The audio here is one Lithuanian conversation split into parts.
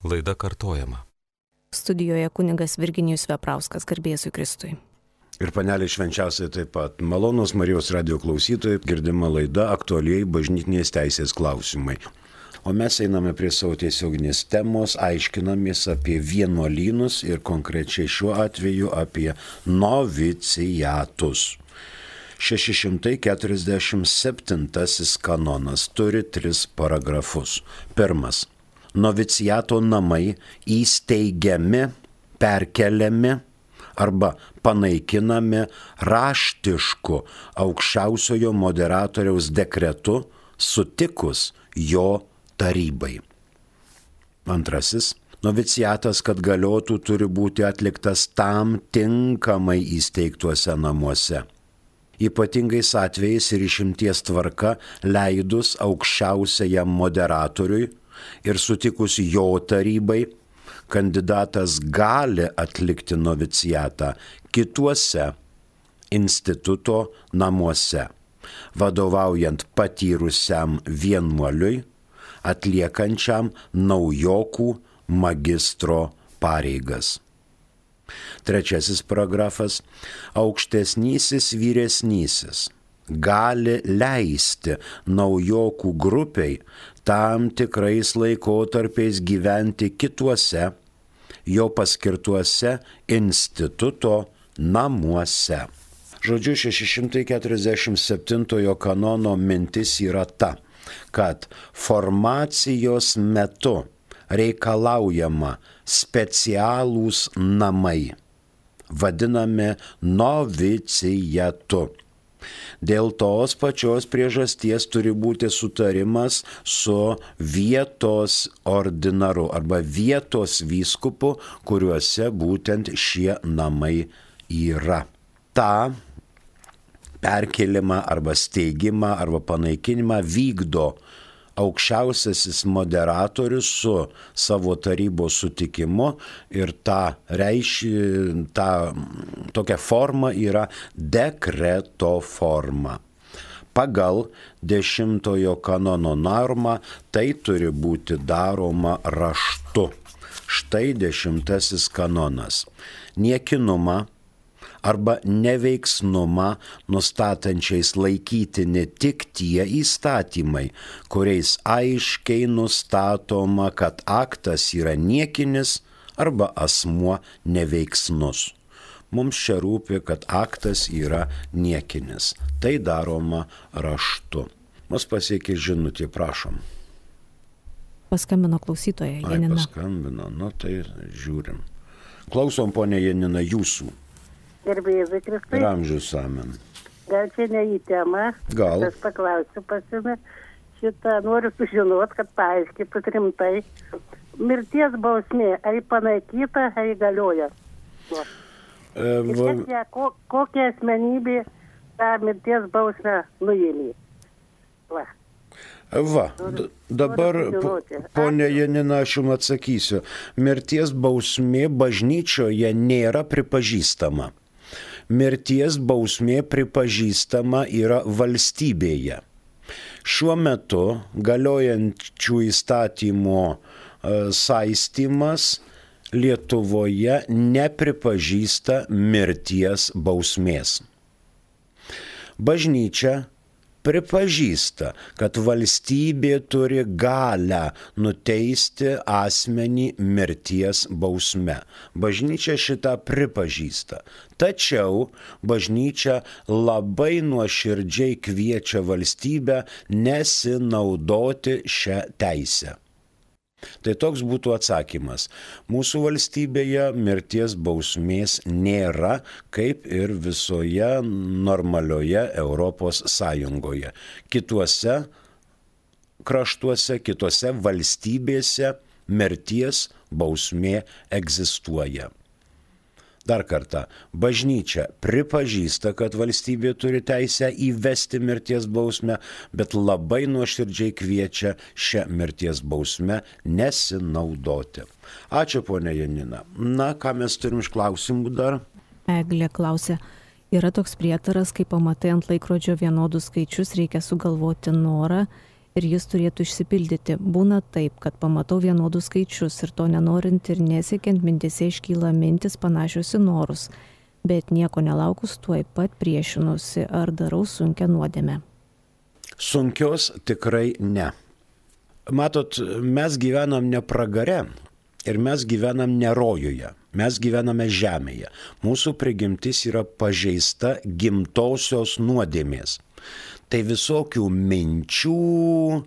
Laida kartojama. Studijoje kunigas Virginijus Veprauskas, garbė Jėzui Kristui. Ir panelė švenčiausiai taip pat. Malonūs Marijos radijo klausytojai, girdima laida aktualiai bažnytinės teisės klausimai. O mes einame prie savo tiesioginės temos, aiškinamės apie vienuolynus ir konkrečiai šiuo atveju apie noviciatus. 647 kanonas turi 3 paragrafus. Pirmas. Noviciato namai įsteigiami, perkeliami arba panaikinami raštišku aukščiausiojo moderatoriaus dekretu sutikus jo tarybai. Antrasis. Noviciatas, kad galiotų, turi būti atliktas tam tinkamai įsteigtuose namuose. Ypatingais atvejais ir išimties tvarka leidus aukščiausiajam moderatoriui ir sutikus jo tarybai, kandidatas gali atlikti noviciatą kituose instituto namuose, vadovaujant patyrusiam vienuoliui, atliekančiam naujokų magistro pareigas. Trečiasis paragrafas. Aukštesnysis vyresnysis gali leisti naujokų grupiai tam tikrais laikotarpiais gyventi kituose jo paskirtuose instituto namuose. Žodžiu, 647 kanono mintis yra ta, kad formacijos metu reikalaujama specialūs namai, vadinami novicijatu. Dėl tos pačios priežasties turi būti sutarimas su vietos ordinaru arba vietos vyskupu, kuriuose būtent šie namai yra. Ta perkelimą arba steigimą arba panaikinimą vykdo aukščiausiasis moderatorius su savo tarybos sutikimu ir tokia forma yra dekreto forma. Pagal 10 kanono normą tai turi būti daroma raštu. Štai 10 kanonas. Niekinumą arba neveiksnumą nustatančiais laikytini tik tie įstatymai, kuriais aiškiai nustatoma, kad aktas yra niekinis arba asmuo neveiksnus. Mums čia rūpi, kad aktas yra niekinis. Tai daroma raštu. Mus pasiekė žinutė, prašom. Paskambino klausytoja Janina. Paskambino, tai žiūrim. Klausom, ponė Janina, jūsų. Garbė Jėzui Kristui. Ir amžius amen. Gal čia ne į temą? Gal. Aš paklausiu pasime. Noriu sužinoti, kad paaiškėtų rimtai. Mirties bausmė, ar panaikyta, ar galioja? Kokia asmenybė tą mirties bausmę nuėmė? Dabar, ponė Janina, aš jums atsakysiu. Mirties bausmė bažnyčioje nėra pripažįstama. Mirties bausmė pripažįstama yra valstybėje. Šiuo metu galiojančių įstatymų saistymas Lietuvoje nepripažįsta mirties bausmės. Bažnyčia pripažįsta, kad valstybė turi galią nuteisti asmenį mirties bausme. Bažnyčia šitą pripažįsta. Tačiau bažnyčia labai nuoširdžiai kviečia valstybę nesinaudoti šią teisę. Tai toks būtų atsakymas. Mūsų valstybėje mirties bausmės nėra, kaip ir visoje normalioje Europos Sąjungoje. Kituose kraštuose, kitose valstybėse mirties bausmė egzistuoja. Dar kartą, bažnyčia pripažįsta, kad valstybė turi teisę įvesti mirties bausmę, bet labai nuoširdžiai kviečia šią mirties bausmę nesinaudoti. Ačiū, ponia Janina. Ką mes turim iš klausimų dar? Eglė klausia, yra toks prietaras, kai pamatai ant laikrodžio vienodus skaičius, reikia sugalvoti norą ir jis turėtų išsipildyti. Būna taip, kad pamatau vienodus skaičius ir to nenorint ir nesiekiant mintise iškyla mintis panašios į norus, bet nieko nelaukus tuoj pat priešinusi ar darau sunkią nuodėmę. Sunkios tikrai ne. Matot, mes gyvenam ne pragare ir mes gyvenam ne rojuje, mes gyvename žemėje. Mūsų prigimtis yra pažeista gimtosios nuodėmės. Tai visokių minčių,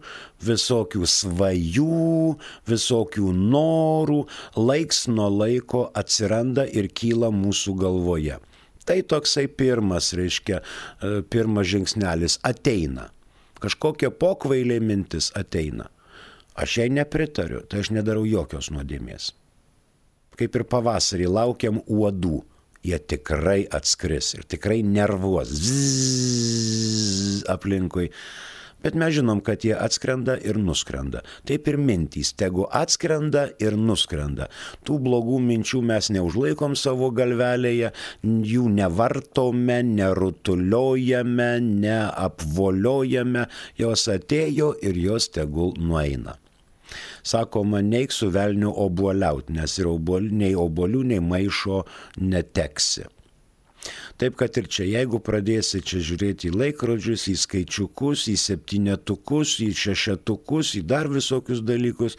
visokių svajų, visokių norų laiks nuo laiko atsiranda ir kyla mūsų galvoje. Tai toksai pirmas žingsnelis ateina. Kažkokia pokvailė mintis ateina. Aš jai nepritariu, tai aš nedarau jokios nuodėmės. Kaip ir pavasarį laukiam uodų. Jie tikrai atskris ir tikrai nervuos aplinkui. Bet mes žinom, kad jie atskrenda ir nuskrenda. Taip ir mintys, tegu atskrenda ir nuskrenda. Tų blogų minčių mes neužlaikom savo galvelėje, jų nevartome, nerutuliojame, neapvoliojame. Jos atėjo ir jos tegul nueina. Sakoma, neik su velniu obuoliaut, nes ir nei obuolių, nei maišo neteksi. Taip kad ir čia, jeigu pradėsi čia žiūrėti į laikrodžius, į skaičiukus, į septynetukus, į šešetukus, į dar visokius dalykus,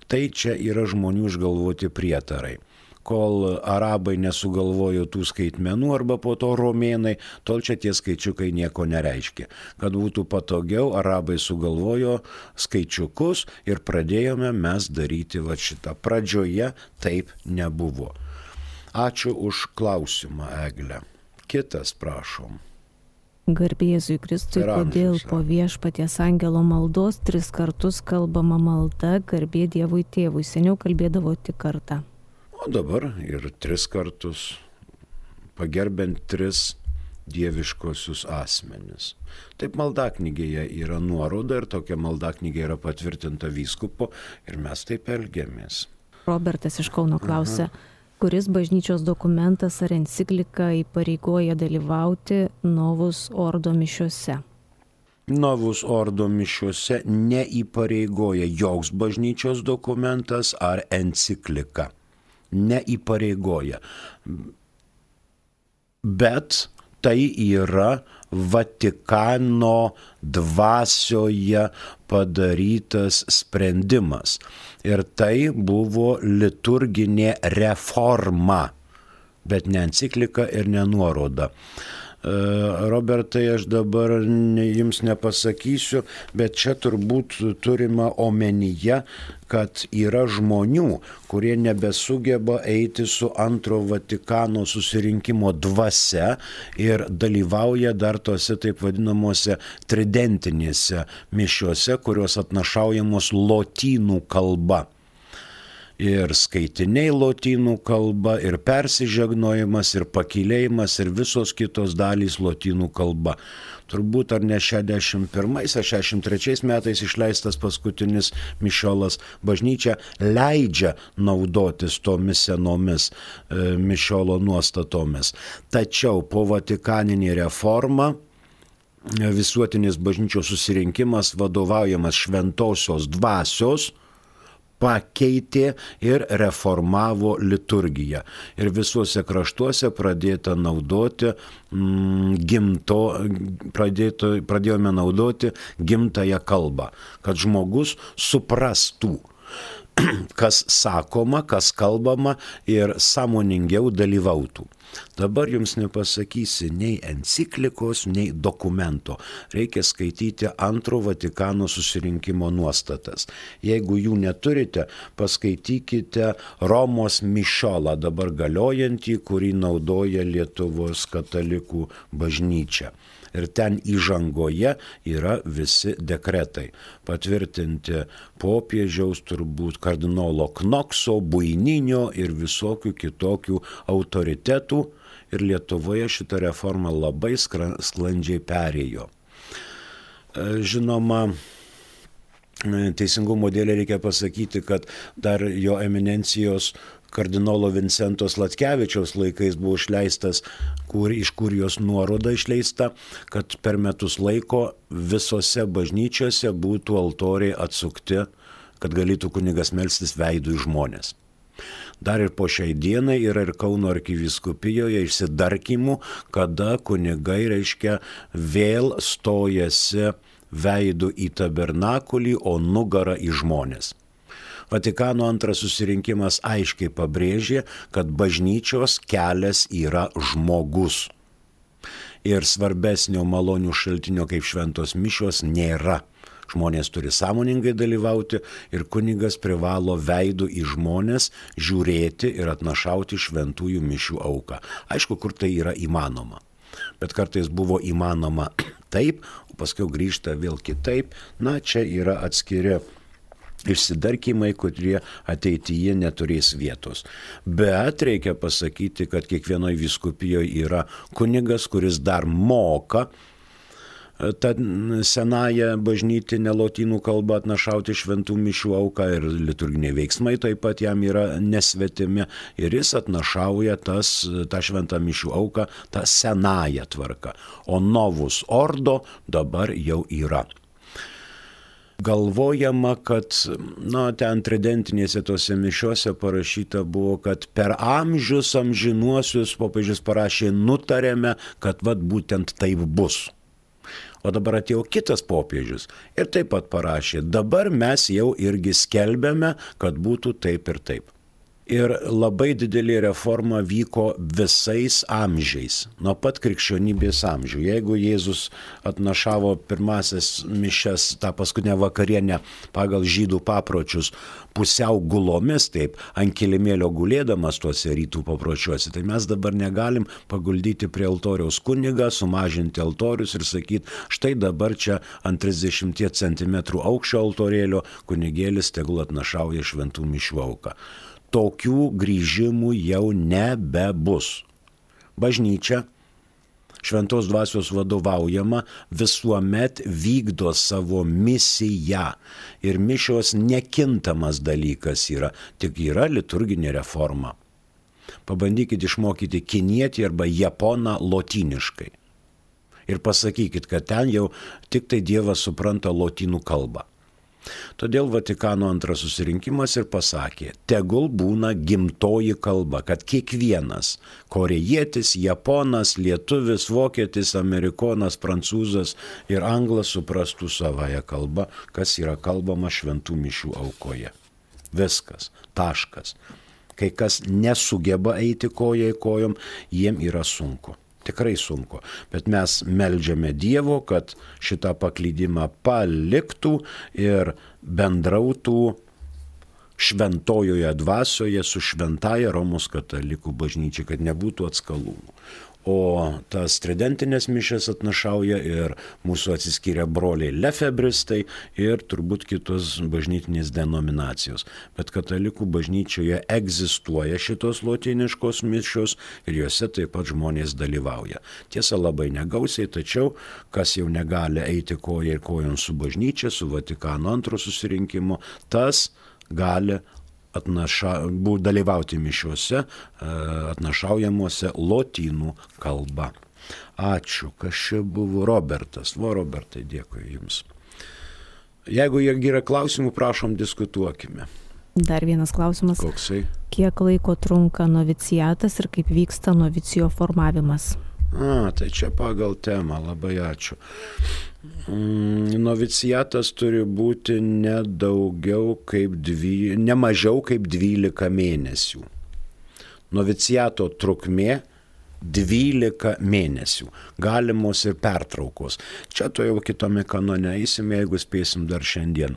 tai čia yra žmonių išgalvoti prietarai. Kol arabai nesugalvojo tų skaitmenų arba po to romėnai, tol čia tie skaičiukai nieko nereiškia. Kad būtų patogiau, arabai sugalvojo skaičiukus ir pradėjome mes daryti va šitą. Pradžioje taip nebuvo. Ačiū už klausimą, Egle. Kitas, prašom. Garbė Jėzui Kristui, kodėl po Viešpaties angelo maldos 3 kartus kalbama malda garbė Dievui Tėvui, seniau kalbėdavo tik kartą. O dabar ir 3 kartus, pagerbent 3 dieviškosius asmenis. Taip maldaknygėje yra nuoroda ir tokia maldaknygė yra patvirtinta vyskupo ir mes taip elgiamės. Robertas iš Kauno klausia, kuris bažnyčios dokumentas ar enciklika įpareigoja dalyvauti Novus Ordo mišiuose? Novus Ordo mišiuose neįpareigoja joks bažnyčios dokumentas ar enciklika. Neįpareigoja. Bet tai yra Vatikano dvasioje padarytas sprendimas. Ir tai buvo liturginė reforma, bet ne enciklika ir ne nuoroda. Robertai, aš dabar jums nepasakysiu, bet čia turbūt turima omenyje, kad yra žmonių, kurie nebesugeba eiti su antro Vatikano susirinkimo dvasia ir dalyvauja dar tose taip vadinamuose tridentinėse mišiuose, kurios atnašaujamos lotynų kalba. Ir skaitiniai lotynų kalba, ir persižegnojimas, ir pakylėjimas, ir visos kitos dalys lotynų kalba. Turbūt ar ne 61 ar 63 metais išleistas paskutinis mišiolas, bažnyčia leidžia naudotis tomis senomis mišiolo nuostatomis. Tačiau po Vatikaninė reforma visuotinis bažnyčios susirinkimas vadovaujamas šventosios dvasios pakeitė ir reformavo liturgiją. Ir visuose kraštuose pradėta naudoti pradėjome naudoti gimtąją kalbą, kad žmogus suprastų, kas sakoma, kas kalbama ir sąmoningiau dalyvautų. Dabar jums nepasakysi nei enciklikos, nei dokumento. Reikia skaityti antro Vatikano susirinkimo nuostatas. Jeigu jų neturite, paskaitykite Romos mišiolą, dabar galiojantį, kurį naudoja Lietuvos katalikų bažnyčia. Ir ten įžangoje yra visi dekretai, patvirtinti popiežiaus, turbūt kardinolo Knokso, Buininio ir visokių kitokių autoritetų. Ir Lietuvoje šita reforma labai sklandžiai perėjo. Žinoma, teisingumo dėlei reikia pasakyti, kad dar jo eminencijos kardinolo Vincento Sladkevičiaus laikais buvo išleistas, iš Kurijos nuoroda išleista, kad per metus laiko visose bažnyčiose būtų altoriai atsukti, kad galėtų kunigas melstis veidu į žmonės. Dar ir po šiai dienai yra ir Kauno arkivyskupijoje išsidarkimų, kada kunigai, reiškia, vėl stojasi veidu į tabernakulį, o nugarą į žmonės. Vatikano antras susirinkimas aiškiai pabrėžė, kad bažnyčios kelias yra žmogus. Ir svarbesnio malonių šaltinio kaip šventos mišios nėra. Žmonės turi sąmoningai dalyvauti ir kunigas privalo veidu į žmonės žiūrėti ir atnašauti šventųjų mišių auką. Aišku, kur tai yra įmanoma. Bet kartais buvo įmanoma taip, o paskui grįžta vėl kitaip. Na, čia yra atskiri išsidarkimai, kurie ateityje neturės vietos. Bet reikia pasakyti, kad kiekvienoje vyskupijoje yra kunigas, kuris dar moka tą senąją bažnytinę lotynų kalbą atnašauti šventų mišių auką ir liturginiai veiksmai taip pat jam yra nesvetimi ir jis atnašauja tą šventą mišių auką, tą senąją tvarką. O novus ordo dabar jau yra. Galvojama, kad ten tridentinėse tose mišiose parašyta buvo, kad per amžius amžinuosius popiežius parašė, nutarėme, kad būtent taip bus. O dabar atėjo kitas popiežius ir taip pat parašė, dabar mes jau irgi skelbiame, kad būtų taip ir taip. Ir labai didelė reforma vyko visais amžiais, nuo pat krikščionybės amžių. Jeigu Jėzus atnašavo pirmasias mišias, tą paskutinę vakarienę pagal žydų papročius, pusiau gulomis, taip, ant kilimėlio gulėdamas tuose rytų papročiuose, tai mes dabar negalim paguldyti prie altoriaus kunigą, sumažinti altorius ir sakyti, štai dabar čia ant 30 cm aukščio altorėlio kunigėlis tegul atnašauja šventų mišių auką. Tokių grįžimų jau nebebus. Bažnyčia, šventos dvasios vadovaujama, visuomet vykdo savo misiją. Ir mišios nekintamas dalykas yra, tik yra liturginė reforma. Pabandykit išmokyti kinietį arba japoną lotyniškai. Ir pasakykit, kad ten jau tik tai Dievas supranta lotynų kalbą. Todėl Vatikano antras susirinkimas ir pasakė, tegul būna gimtoji kalba, kad kiekvienas korėjietis, japonas, lietuvis, vokietis, amerikonas, prancūzas ir anglas suprastų savąją kalbą, kas yra kalbama šventų mišių aukoje. Viskas, taškas. Kai kas nesugeba eiti koja į kojom, jiem yra sunku. Tikrai sunku, bet mes meldžiame Dievo, kad šitą paklydimą paliktų ir bendrautų šventojoje dvasioje su šventaja Romos katalikų bažnyčia, kad nebūtų atskalūnų. O tas tridentinės mišias atnašauja ir mūsų atsiskyrę broliai lefebristai ir turbūt kitos bažnytinės denominacijos. Bet katalikų bažnyčioje egzistuoja šitos lotyniškos mišios ir juose taip pat žmonės dalyvauja. Tiesa, labai negausiai, tačiau kas jau negali eiti koja ir kojon su bažnyčia, su Vatikano antro susirinkimu, tas gali dalyvauti mišiuose atnašaujamuose lotynų kalba. Ačiū, kas čia buvo Robertas. Robertai, dėkui Jums. Jeigu yra klausimų, prašom, diskutuokime. Dar vienas klausimas. Koksai? Kiek laiko trunka noviciatas ir kaip vyksta novicijo formavimas? Tai čia pagal temą, labai ačiū. Noviciatas turi būti ne mažiau kaip 12 mėnesių. Noviciato trukmė 12 mėnesių. Galimos ir pertraukos. Čia to jau kitame kanone eisime, jeigu spėsim dar šiandien.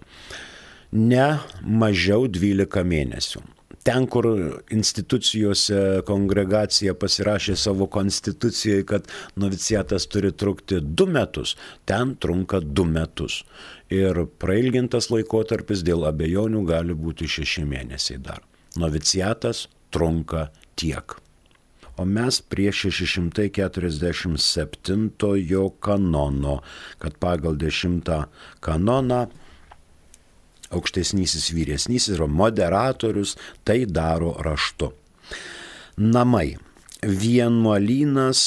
Ne mažiau 12 mėnesių. Ten, kur institucijose kongregacija pasirašė savo konstitucijoje, kad noviciatas turi trukti 2 metus, ten trunka 2 metus. Ir prailgintas laikotarpis dėl abejonių gali būti 6 mėnesiai dar. Noviciatas trunka tiek. O mes prie 647 kanono, kad pagal 10 kanoną aukštesnysis vyresnysis yra moderatorius, tai daro raštu. Namai. Vienuolynas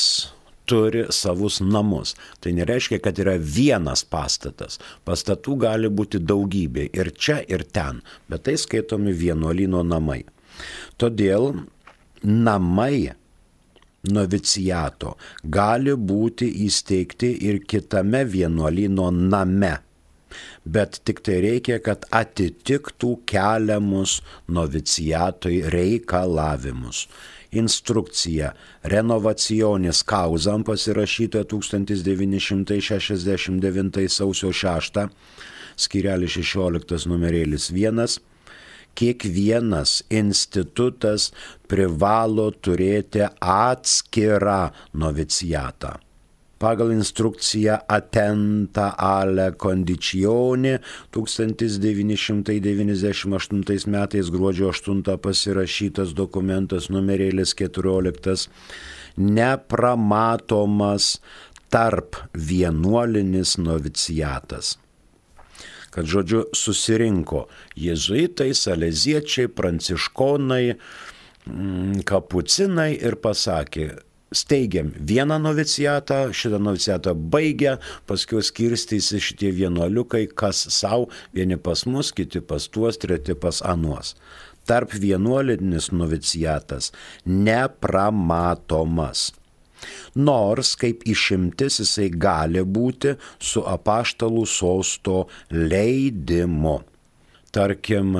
turi savus namus. Tai nereiškia, kad yra vienas pastatas. Pastatų gali būti daugybė ir čia, ir ten, bet tai skaitomi vienuolyno namai. Todėl namai noviciato gali būti įsteigti ir kitame vienuolyno name. Bet tik tai reikia, kad atitiktų keliamus noviciatui reikalavimus. Instrukcija Renovationis Causam pasirašyta 1969 sausio 6, skyrelis 16 numerėlis 1. Kiekvienas institutas privalo turėti atskirą noviciatą. Pagal instrukciją Attenta alle Conditioni 1998 metais gruodžio 8 pasirašytas dokumentas numerėlis 14 nepramatomas tarp vienuolinis noviciatas. Kad žodžiu susirinko jėzuitai, saleziečiai, pranciškonai, kapucinai ir pasakė, steigiam vieną noviciatą, šitą noviciatą baigia, paskui skirstysi šitie vienuoliukai, kas savo, vieni pas mus, kiti pas tuos, treti pas anuos. Tarp vienuolinis noviciatas nepramatomas. Nors kaip išimtis jisai gali būti su apaštalų sosto leidimu. Tarkim,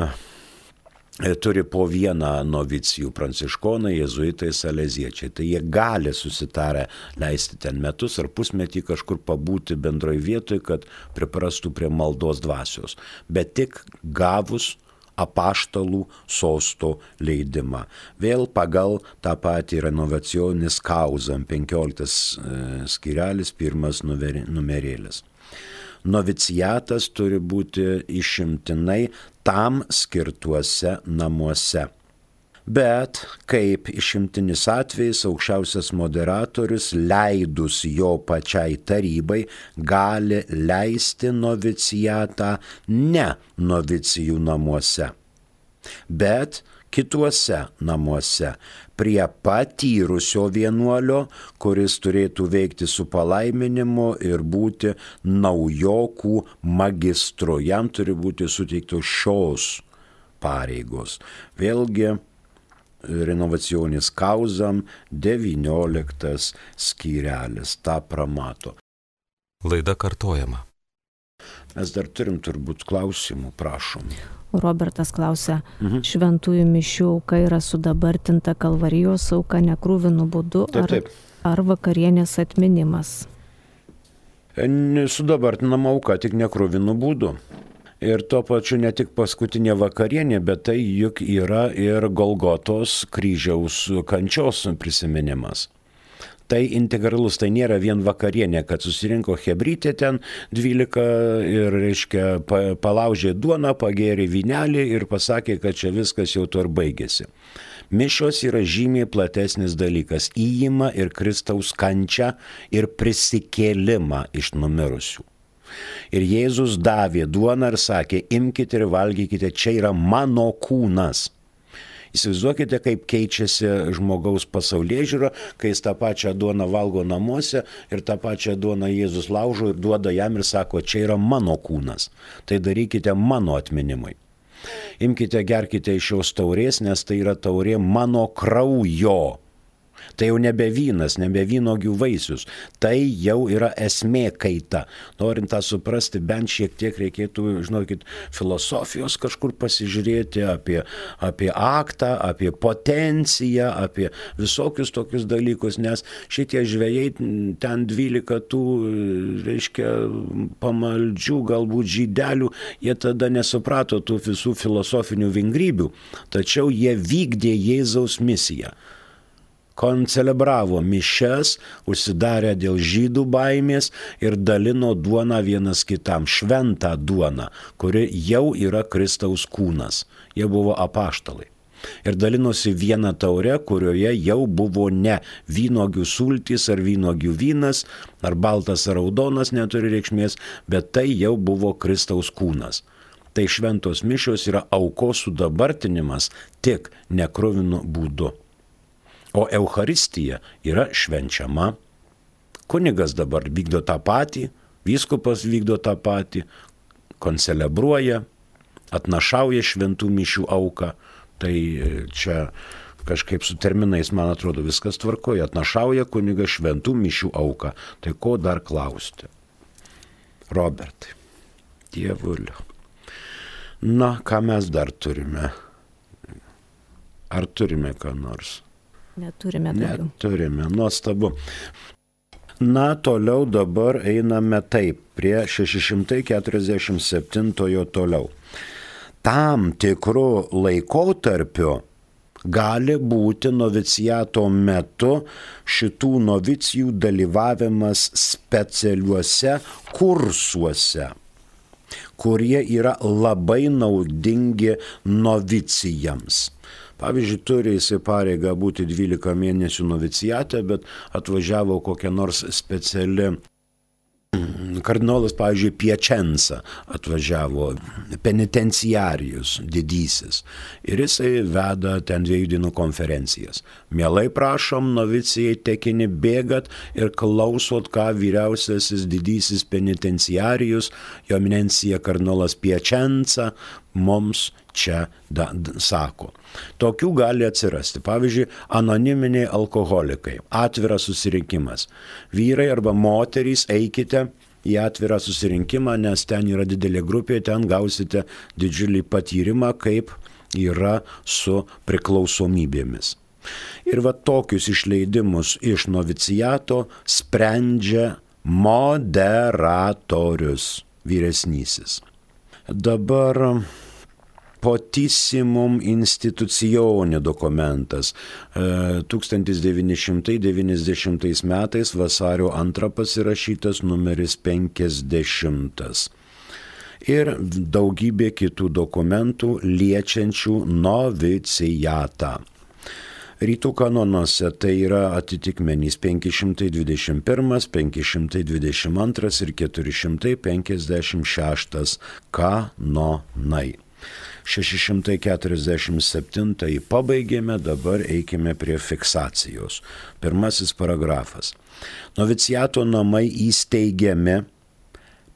turi po vieną novicijų pranciškoną, jėzuitai, saleziečiai. Tai jie gali susitarę leisti ten metus ar pusmetį kažkur pabūti bendroj vietoj, kad priprastų prie maldos dvasios. Bet tik gavus apaštalų sosto leidimą. Vėl pagal tą patį Renovationis Causam 15 skyrelis 1 numerėlis. Noviciatas turi būti išimtinai tam skirtuose namuose. Bet kaip išimtinis atvejis aukščiausias moderatorius leidus jo pačiai tarybai gali leisti noviciatą ne novicijų namuose, bet kituose namuose prie patyrusio vienuolio, kuris turėtų veikti su palaiminimu ir būti naujokų magistru. Jam turi būti suteiktos šios pareigos. Vėlgi Renovationis Causam 19 skyrelis tą pramato. Laida kartojama. Mes dar turim turbūt klausimų, prašom. Robertas klausia, šventųjų mišių auka yra sudabartinta Kalvarijos auka nekrūvinų būdu ar vakarienės atminimas? Sudabartinama auka tik nekrūvinų būdu. Ir tuo pačiu ne tik paskutinė vakarienė, bet tai juk yra ir Golgotos kryžiaus kančios prisiminimas. Tai integralus, tai nėra vien vakarienė, kad susirinko chebrytė ten 12 ir, reiškia, palaužė duoną, pagėrė vynelį ir pasakė, kad čia viskas jau to ir baigėsi. Mišios yra žymiai platesnis dalykas, įima ir Kristaus kančią ir prisikėlimą iš numirusių. Ir Jėzus davė duoną ir sakė, imkite ir valgykite, čia yra mano kūnas. Įsivaizduokite, kaip keičiasi žmogaus pasaulėžiūra, kai jis tą pačią duoną valgo namuose ir tą pačią duoną Jėzus laužo ir duoda jam ir sako, čia yra mano kūnas. Tai darykite mano atminimui. Imkite, gerkite iš šios taurės, nes tai yra taurė mano kraujo. Tai jau nebe vynas, nebe vynuogių vaisius. Tai jau yra esmė kaita. Norint tą suprasti, bent šiek tiek reikėtų, žinokit, filosofijos kažkur pasižiūrėti apie aktą, apie potenciją, apie visokius tokius dalykus, nes šitie žvejai ten 12 tų, reiškia, pamaldžių, galbūt žydelių, jie tada nesuprato tų visų filosofinių vingrybių, tačiau jie vykdė Jėzaus misiją. Koncelebravo mišias, užsidarė dėl žydų baimės ir dalino duoną vienas kitam, šventą duoną, kuri jau yra Kristaus kūnas. Jie buvo apaštalai. Ir dalinosi vieną taurę, kurioje jau buvo ne vynuogių sultys ar vynuogių vynas, ar baltas ar raudonas neturi reikšmės, bet tai jau buvo Kristaus kūnas. Tai šventos mišios yra aukos sudabartinimas tik nekruvinu būdu. O Eucharistija yra švenčiama. Kunigas dabar vykdo tą patį, vyskupas vykdo tą patį, koncelebruoja, atnašauja šventų mišių auką. Tai čia kažkaip su terminais, man atrodo, viskas tvarkoja. Atnašauja kunigas šventų mišių auką. Tai ko dar klausti? Robertai, dievulio. Na, ką mes dar turime? Ar turime ką nors? Neturime daugiau. Neturime, nuostabu. Na, toliau dabar einame taip, prie 647 toliau. Tam tikru laikotarpiu gali būti noviciato metu šitų novicijų dalyvavimas specialiuose kursuose, kurie yra labai naudingi novicijams. Pavyzdžiui, turi jisai pareigą būti 12 mėnesių novicijate, bet atvažiavo kokia nors speciali kardinolas, pavyzdžiui, Piacenza atvažiavo, penitenciarijus didysis, ir jisai veda ten 2 dienų konferencijas. Mielai prašom, novicijai tekini bėgat ir klausot, ką vyriausiasis didysis penitenciarijus, jo eminencija kardinolas Piacenza, mums čia sako. Tokių gali atsirasti. Pavyzdžiui, anoniminiai alkoholikai. Atviras susirinkimas. Vyrai arba moterys, eikite į atvirą susirinkimą, nes ten yra didelė grupė, ten gausite didžiulį patyrimą, kaip yra su priklausomybėmis. Ir va tokius išleidimus iš noviciato sprendžia moderatorius, vyresnysis. Dabar Potissimum institucione dokumentas 1990 metais vasario 2 pasirašytas numeris 50. Ir daugybė kitų dokumentų liečiančių novicijatą. Rytų kanonuose tai yra atitikmenys 521, 522 ir 456 kanonai. 647 pabaigėme, dabar eikime prie fiksacijos. Pirmasis paragrafas. Noviciato namai įsteigiami,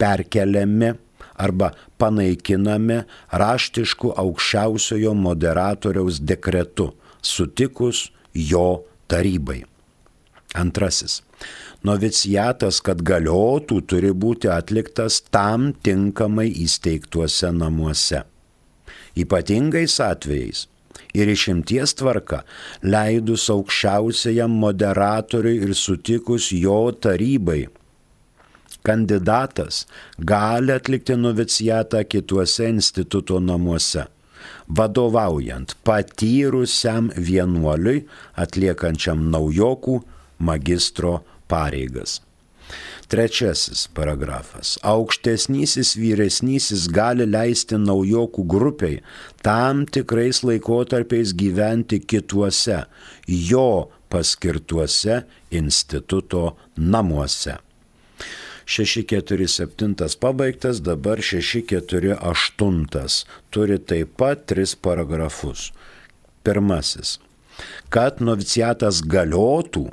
perkeliami arba panaikinami raštišku aukščiausiojo moderatoriaus dekretu, sutikus jo tarybai. Antrasis. Noviciatas, kad galiotų, turi būti atliktas tam tinkamai įsteigtuose namuose. Ypatingais atvejais ir išimties tvarka leidus aukščiausiajam moderatoriui ir sutikus jo tarybai, kandidatas gali atlikti noviciatą kituose instituto namuose, vadovaujant patyrusiam vienuoliui atliekančiam naujokų magistro pareigas. Trečiasis paragrafas. Aukštesnysis vyresnysis gali leisti naujokų grupiai tam tikrais laikotarpiais gyventi kituose, jo paskirtuose instituto namuose. 647 pabaigtas, dabar 648. Turi taip pat 3 paragrafus. Pirmasis. Kad noviciatas galiotų,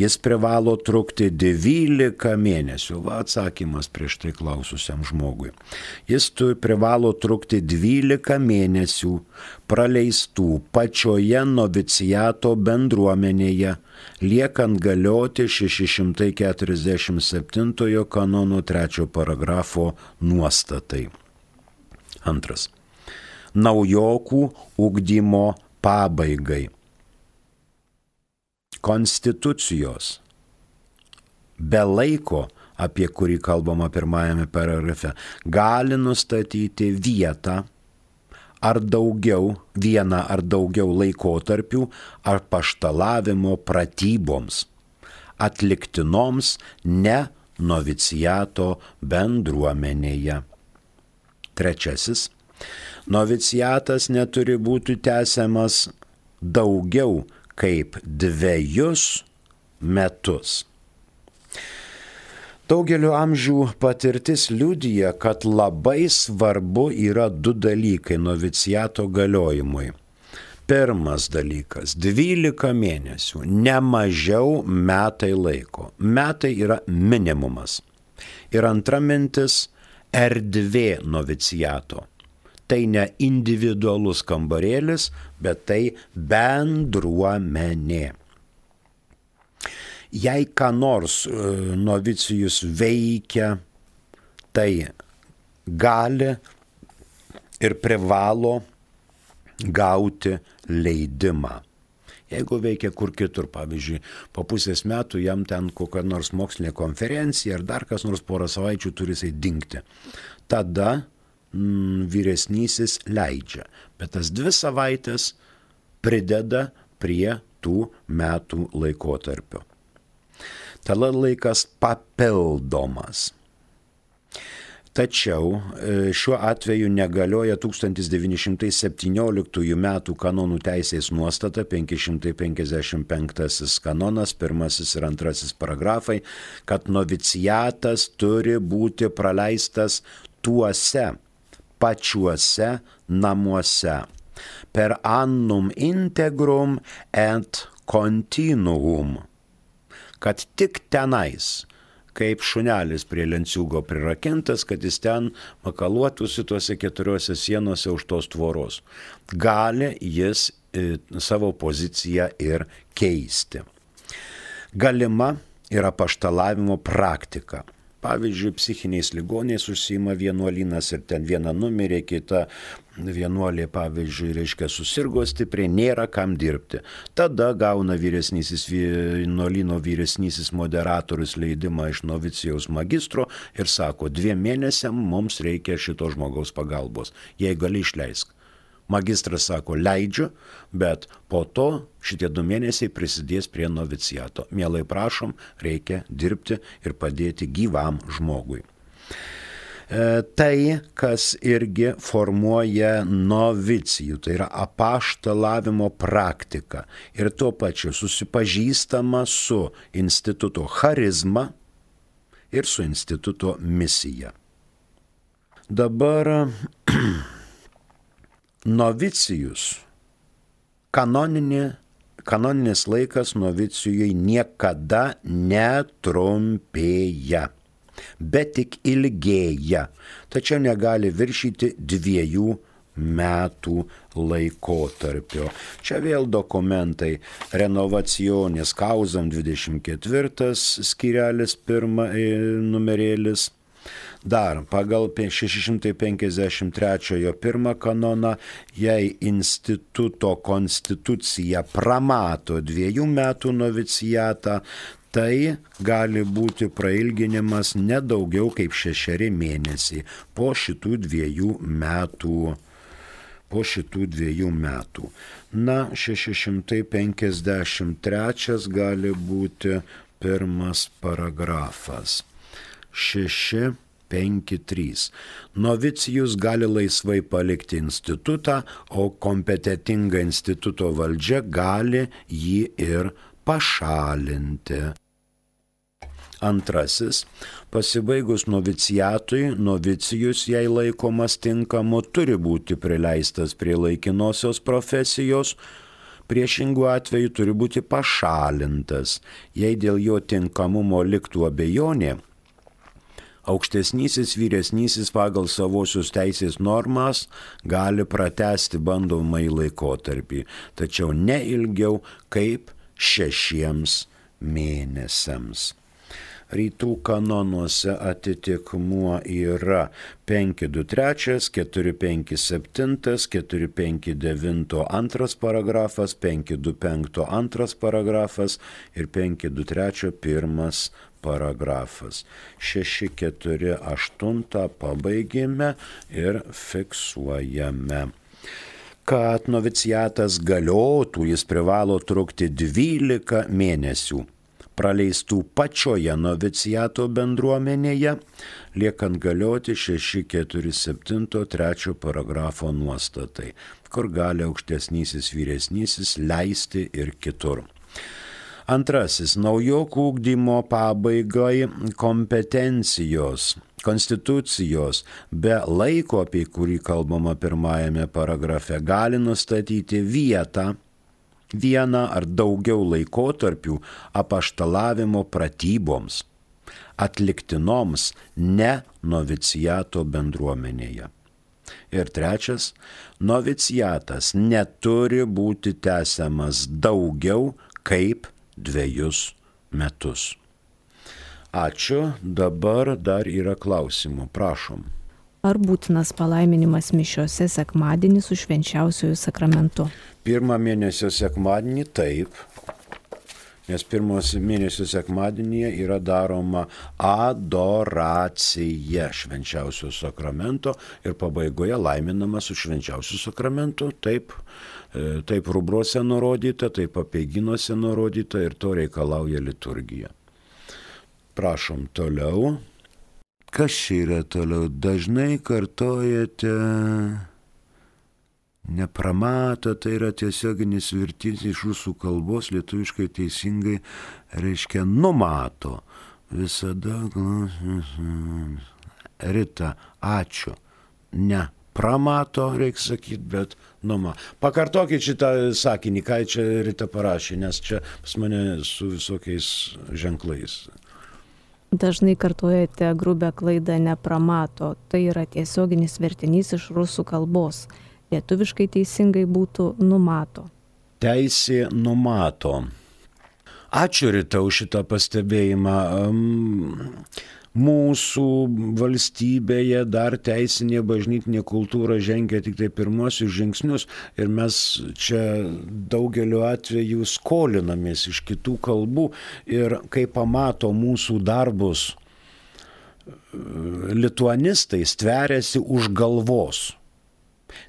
jis privalo trukti 12 mėnesių. Va atsakymas prieš tai klaususiam žmogui. Jis privalo trukti 12 mėnesių praleistų pačioje noviciato bendruomenėje, liekant galioti 647 kanono 3 paragrafo nuostatai. Antras. Naujokų ugdymo pabaigai. Konstitucijos be laiko, apie kurį kalbama pirmajame paragrafe, gali nustatyti vieną ar daugiau laikotarpių ar paštalavimo pratyboms, atliktinoms ne noviciato bendruomenėje. Trečiasis. Noviciatas neturi būti tęsiamas daugiau kaip 2 metus. Daugelio amžių patirtis liudija, kad labai svarbu yra 2 dalykai noviciato galiojimui. Pirmas dalykas – 12 mėnesių, ne mažiau metai laiko. Metai yra minimumas. Ir antra mintis – erdvė noviciato. Tai ne individualus kambarėlis, bet tai bendruomenė. Jei ką nors novicijus veikia, tai gali ir privalo gauti leidimą. Jeigu veikia kur kitur, pavyzdžiui, po pusės metų jam ten kokia nors mokslinė konferencija ar dar kas nors porą savaičių turi jisai dingti. Tada vyresnysis leidžia, bet tas 2 savaitės prideda prie tų metų laikotarpio. Tada laikas papildomas. Tačiau šiuo atveju negalioja 1917 metų kanonų teisės nuostata, 555 kanonas, 1 ir 2 paragrafai, kad noviciatas turi būti praleistas tuose pačiuose namuose per annum integrum et continuum, kad tik tenais, kaip šunelis prie lenciūgo prirakintas, kad jis ten makaluotųsi tuose 4 sienose už tos tvoros. Gali jis savo poziciją ir keisti. Galima yra apaštalavimo praktika. Pavyzdžiui, psichiniais ligoniais užsiima vienuolynas ir ten viena numirė, kita vienuolė, pavyzdžiui, susirgo stipriai, nėra kam dirbti. Tada gauna vienuolyno vyresnysis moderatorius leidimą iš novicijaus magistro ir sako, 2 mėnesiam mums reikia šito žmogaus pagalbos. Jei gali, išleisk. Magistras sako, leidžiu, bet po to šitie 2 mėnesiai prisidės prie noviciato. Mielai prašom, reikia dirbti ir padėti gyvam žmogui. Tai, kas irgi formuoja novicijų, tai yra apaštalavimo praktika. Ir tuo pačiu susipažįstama su instituto charizma ir su instituto misija. Dabar novicijus, kanoninis laikas novicijui niekada netrumpėja, bet tik ilgėja, tačiau negali viršyti 2 metų laikotarpio. Čia vėl dokumentai Renovacionis Causam 24 skyrelis 1 numerėlis. Dar pagal 653 1 kanoną, jei instituto konstitucija pramato 2 metų noviciatą, tai gali būti prailginimas nedaugiau kaip 6 mėnesiai po šitų 2 metų. Na, 653 gali būti 1 paragrafas. 653. Novicijus gali laisvai palikti institutą, o kompetentinga instituto valdžia gali jį ir pašalinti. 2. Pasibaigus noviciatui, novicijus, jei laikomas tinkamu, turi būti prileistas prie laikinosios profesijos, priešingų atveju turi būti pašalintas. Jei dėl jo tinkamumo liktų abejonė, aukštesnysis vyresnysis pagal savosios teisės normas gali pratęsti bandomąjį laikotarpį, tačiau ne ilgiau kaip 6 mėnesiams. Rytų kanonuose atitikmuo yra 523, 457, 459 2 paragrafas, 525 2 paragrafas ir 523 1 paragrafas. 648 pabaigėme ir fiksuojame. Kad noviciatas galiotų, jis privalo trukti 12 mėnesių. Praleistų pačioje noviciato bendruomenėje, liekant galioti 647 3 paragrafo nuostatai, kur gali aukštesnysis vyresnysis leisti ir kitur. Antrasis, naujokų ugdymo pabaigai kompetencijos, konstitucijos be laiko, apie kurį kalbama pirmajame paragrafe, gali nustatyti vieną ar daugiau laikotarpių apaštalavimo pratyboms, atliktinoms ne noviciato bendruomenėje. Ir trečias, noviciatas neturi būti tęsiamas daugiau kaip 2 metus. Ačiū, dabar dar yra klausimų, prašom. Ar būtinas palaiminimas mišiose sekmadienį su švenčiausiuoju sakramentu? Pirmą mėnesio sekmadienį taip, nes pirmos mėnesio sekmadienyje yra daroma adoracija švenčiausio sakramento ir pabaigoje laiminama su švenčiausiu sakramentu. Taip rubruose nurodyta, taip apeiginuose nurodyta ir to reikalauja liturgija. Prašom toliau. Kas čia yra toliau? Dažnai kartojate nepramato, tai yra tiesioginis vertys iš rusų kalbos, lietuviškai teisingai reiškia numato. Visada Rita, ačiū. Ne pramato, reikia sakyti, bet numato. Pakartokit šitą sakinį, ką čia Rita parašė, nes čia pas mane su visokiais ženklais. Dažnai kartojate grubę klaidą nepramato. Tai yra tiesioginis vertinys iš rusų kalbos. Lietuviškai teisingai būtų numato. Teisė numato. Ačiū Rita už šitą pastebėjimą. Mūsų valstybėje dar teisinė bažnytinė kultūra žengia tik tai pirmosius žingsnius ir mes čia daugeliu atveju skolinamės iš kitų kalbų ir kai pamato mūsų darbus lituanistai stveriasi už galvos.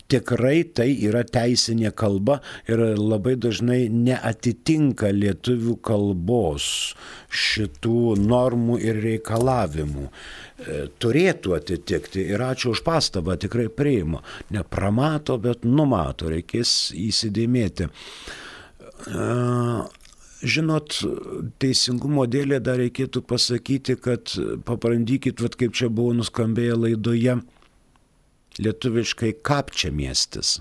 Tikrai tai yra teisinė kalba ir labai dažnai neatitinka lietuvių kalbos šitų normų ir reikalavimų. Turėtų atitikti ir ačiū už pastabą, tikrai priimu. Ne pramato, bet numato, reikės įsidėmėti. Žinot, teisingumo dėlė dar reikėtų pasakyti, kad pabrandykit, kaip čia buvo nuskambėję laidoje, lietuviškai Kapčiamiestis.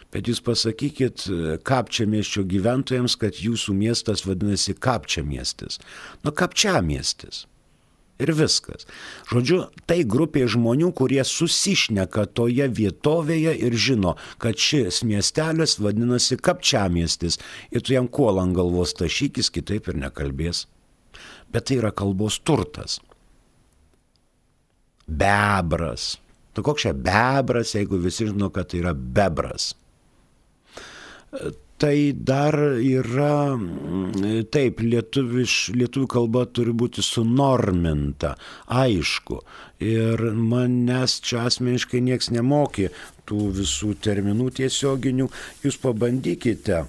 Bet jūs pasakykit Kapčiamiesčio gyventojams, kad jūsų miestas vadinasi Kapčiamiestis. Kapčiamiestis. Ir viskas. Žodžiu, tai grupė žmonių, kurie susišneka toje vietovėje ir žino, kad šis miestelis vadinasi Kapčiamiestis. Ir tu jam kuolą ant galvos tašykis, kitaip ir nekalbės. Bet tai yra kalbos turtas. Bebras. Koks čia bebras, jeigu visi žino, kad tai yra bebras. Tai dar yra, taip, lietuvių kalba turi būti sunorminta, aišku. Ir manęs čia asmeniškai nieks nemokė tų visų terminų tiesioginių. Jūs pabandykite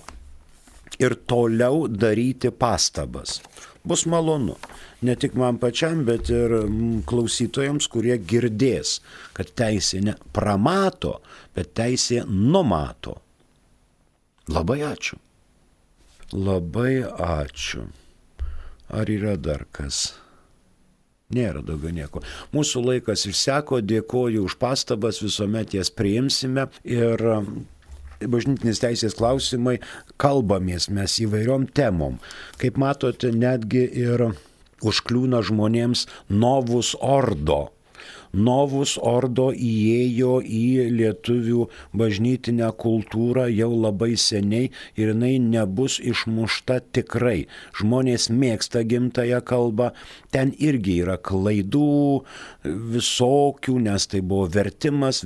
ir toliau daryti pastabas. Bus malonu. Ne tik man pačiam, bet ir klausytojams, kurie girdės, kad teisė ne pramato, bet teisė numato. Labai ačiū. Labai ačiū. Ar yra dar kas? Nėra daugiau nieko. Mūsų laikas išseko, dėkoju už pastabas, visuomet jas priimsime ir bažnytinės teisės klausimai kalbamės mes įvairiom temom. Kaip matote, netgi ir užkliūna žmonėms Novus Ordo. Novus Ordo įėjo į lietuvių bažnytinę kultūrą jau labai seniai ir jinai nebus išmušta tikrai. Žmonės mėgsta gimtąją kalbą, ten irgi yra klaidų visokių, nes tai buvo vertimas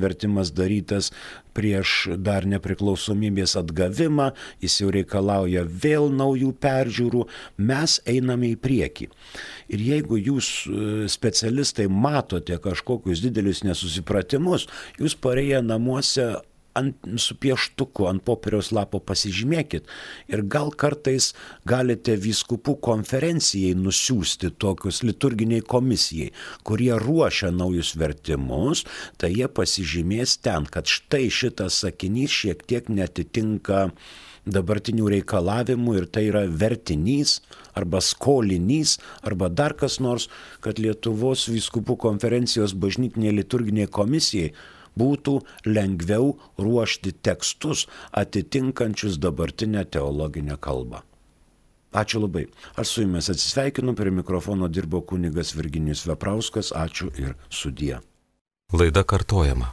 darytas prieš dar nepriklausomybės atgavimą, jis jau reikalauja vėl naujų peržiūrų, mes einame į priekį. Ir jeigu jūs specialistai matote kažkokius didelius nesusipratimus, jūs parėję namuose su pieštuku ant popieriaus lapo pasižymėkit ir gal kartais galite vyskupų konferencijai nusiųsti tokius liturginiai komisijai, kurie ruošia naujus vertimus, tai jie pasižymės ten, kad štai šitas sakinys šiek tiek netitinka dabartinių reikalavimų ir tai yra vertinys arba skolinys arba dar kas nors, kad Lietuvos vyskupų konferencijos bažnytinė liturginė komisijai būtų lengviau ruošti tekstus atitinkančius dabartinę teologinę kalbą. Ačiū labai. Aš su jumis atsisveikinu, prie mikrofono dirbo kunigas Virginijus Veprauskas. Ačiū ir sudie. Laida kartojama.